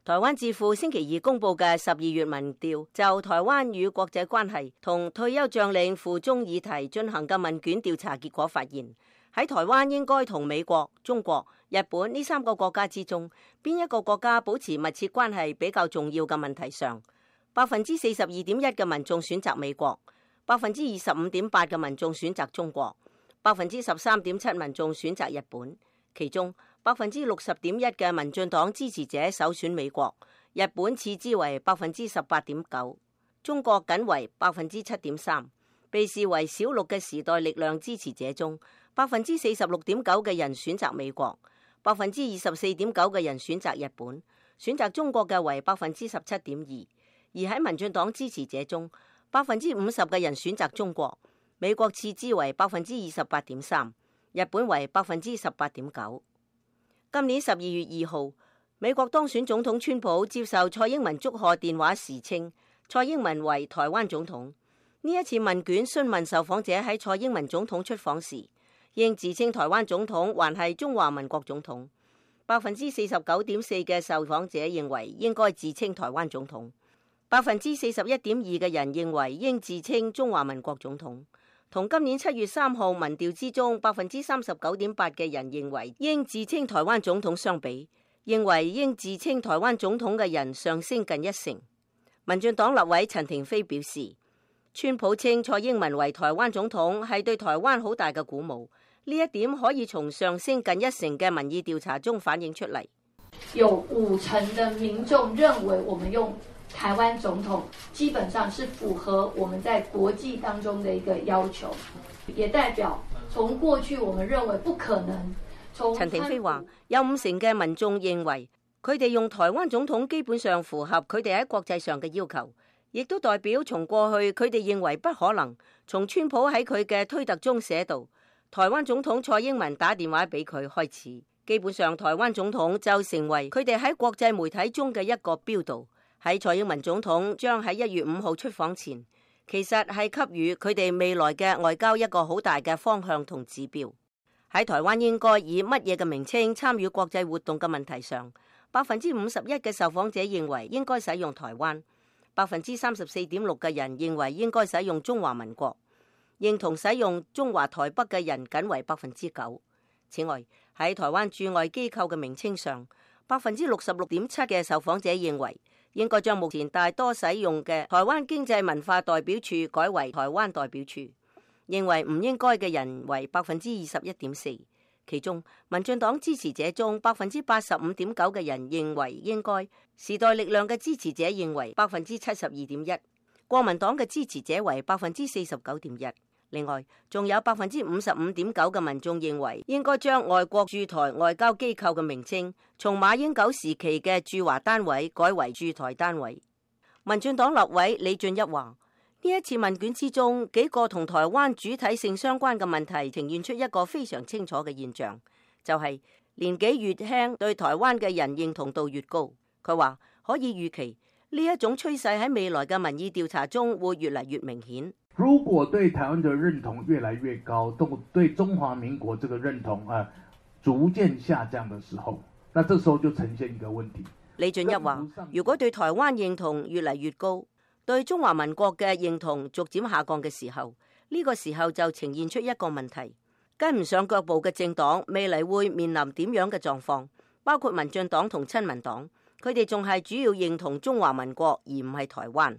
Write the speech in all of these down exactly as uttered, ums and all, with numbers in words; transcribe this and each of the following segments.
台灣智庫星期二公布嘅十二月民調，就台灣與國際關係同退休將領赴中議題進行嘅問卷調查結果發現，喺台灣應該同美國、中國、日本呢三個國家之中，邊一個國家保持密切關係比較重要嘅問題上，百分之四十二點一嘅民眾選擇美國，百分之二十五點八嘅民眾選擇中國，百分之十三點七民眾選擇日本，其中百分之六十點一嘅民進黨支持者首選美國，日本次之為百分之十八點九，中國僅為百分之七點三。被視為小綠嘅時代力量支持者中，百分之四十六點九嘅人選擇美國，百分之二十四點九嘅人選擇日本，選擇中國嘅為百分之十七點二。而喺民進黨支持者中，百分之五十嘅人選擇中國，美國次之為百分之二十八點三，日本為百分之十八點九。今年十二月二號，美國當選總統川普接受蔡英文祝賀電話時稱，蔡英文為台灣總統。呢一次問卷詢問受訪者喺蔡英文總統出訪時，應自稱台灣總統還係中華民國總統。百分之四十九點四嘅受訪者認為應該自稱台灣總統，百分之四十一點二嘅人認為應自稱中華民國總統。同今年七月三號民調之中百分之三十九點八嘅人認為應自稱台灣總統相比，認為應自稱台灣總統嘅人上升近一成。民進黨立委陳亭妃表示，川普稱蔡英文為台灣總統係對台灣好大嘅鼓舞，呢一點可以從上升近一成嘅民意調查中反映出嚟。有五成嘅民眾認為我們用台灣總統基本上是符合我們在國際當中的一個要求，也代表從過去我們認為不可能。陳亭妃話，有五成嘅民眾認為佢哋用台灣總統基本上符合佢哋喺國際上嘅要求，亦都代表從過去佢哋認為不可能。從川普喺佢嘅推特中寫道，台灣總統蔡英文打電話俾佢開始，基本上台灣總統就成為佢哋喺國際媒體中嘅一個標誌。喺蔡英文總統將喺一月五號出訪前，其實係給予佢哋未來嘅外交一個好大嘅方向同指標。喺台灣應該以乜嘢嘅名稱參與國際活動嘅問題上，百分之五十一嘅受訪者認為應該使用台灣，百分之三十四點六嘅人認為應該使用中華民國，認同使用中華台北嘅人僅為百分之九。此外，喺台灣駐外機構嘅名稱上，百分之六十六點七嘅受訪者認為應該將目前大多使用嘅台灣經濟文化代表處改為台灣代表處，認為唔應該嘅人為百分之二十一點四。其中民進黨支持者中百分之八十五點九嘅人認為應該，時代力量嘅支持者認為百分之七十二點一，國民黨嘅支持者為百分之四十九點一。另外，仲有百分之五十五點九嘅民眾認為應該將外國駐台外交機構嘅名稱從馬英九時期嘅駐華單位改為駐台單位。民進黨立委李俊一話，呢一次問卷之中，幾個同台灣主體性相關嘅問題呈現出一個非常清楚嘅現象，就係、是、年紀越輕對台灣嘅人認同度越高。佢話可以預期呢一種趨勢喺未來嘅民意調查中會越嚟越明顯。如果對台灣的認同越來越高，對中華民國這個認同啊逐漸下降的時候，那這時候就呈現一個問題。李俊一話，如果對台灣認同越嚟越高，對中華民國嘅認同逐漸下降嘅時候，呢、這個時候就呈現出一個問題，跟唔上腳步嘅政黨未來會面臨點樣嘅狀況？包括民進黨同親民黨，佢哋仲係主要認同中華民國而唔係台灣。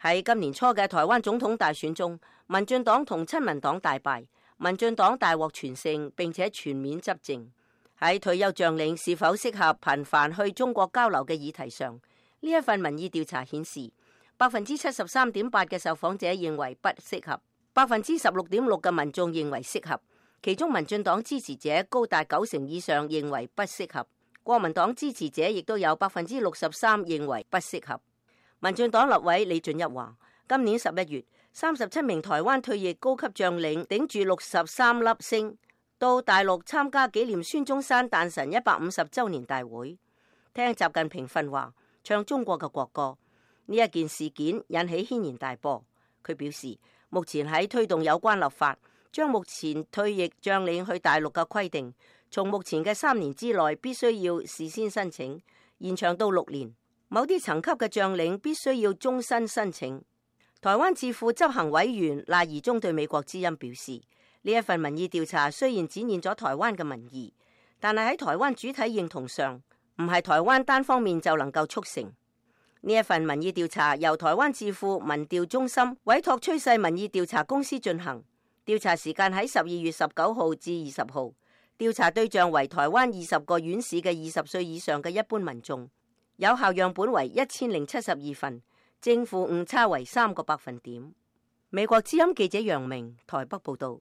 喺今年初嘅台灣總統大選中，民進黨同親民黨大敗，民進黨大獲全勝，並且全面執政。喺退休將領是否適合頻繁去中國交流嘅議題上，呢一份民意調查顯示，百分之七十三點八嘅受訪者認為不適合，百分之十六點六嘅民眾認為適合，其中民進黨支持者高達九成以上認為不適合，國民黨支持者亦都有百分之六十三認為不適合。民進黨立委李俊一話，今年十一月，三十七名台灣退役高級將領頂住六十三粒星到大陸參加紀念孫中山誕辰一百五十週年大會，聽習近平訓話，唱中國嘅國歌。呢一件事件引起軒然大波。佢表示，目前喺推動有關立法，將目前退役將領去大陸嘅規定，從目前嘅三年之內必須要事先申請，延長到六年。某啲層級嘅將領必須要終身申請。台灣智庫執行委員賴宜中對美國之音表示，呢一份民意調查雖然展現咗台灣嘅民意，但係喺台灣主體認同上，唔係台灣單方面就能夠促成。呢一份民意調查由台灣智庫民調中心委託趨勢民意調查公司進行，調查時間喺十二月十九號至二十號，調查對象為台灣二十個縣市嘅二十歲以上嘅一般民眾，有效樣本為一千零七十二份。正負誤差為三個百分點。美國之音記者楊明台北報道。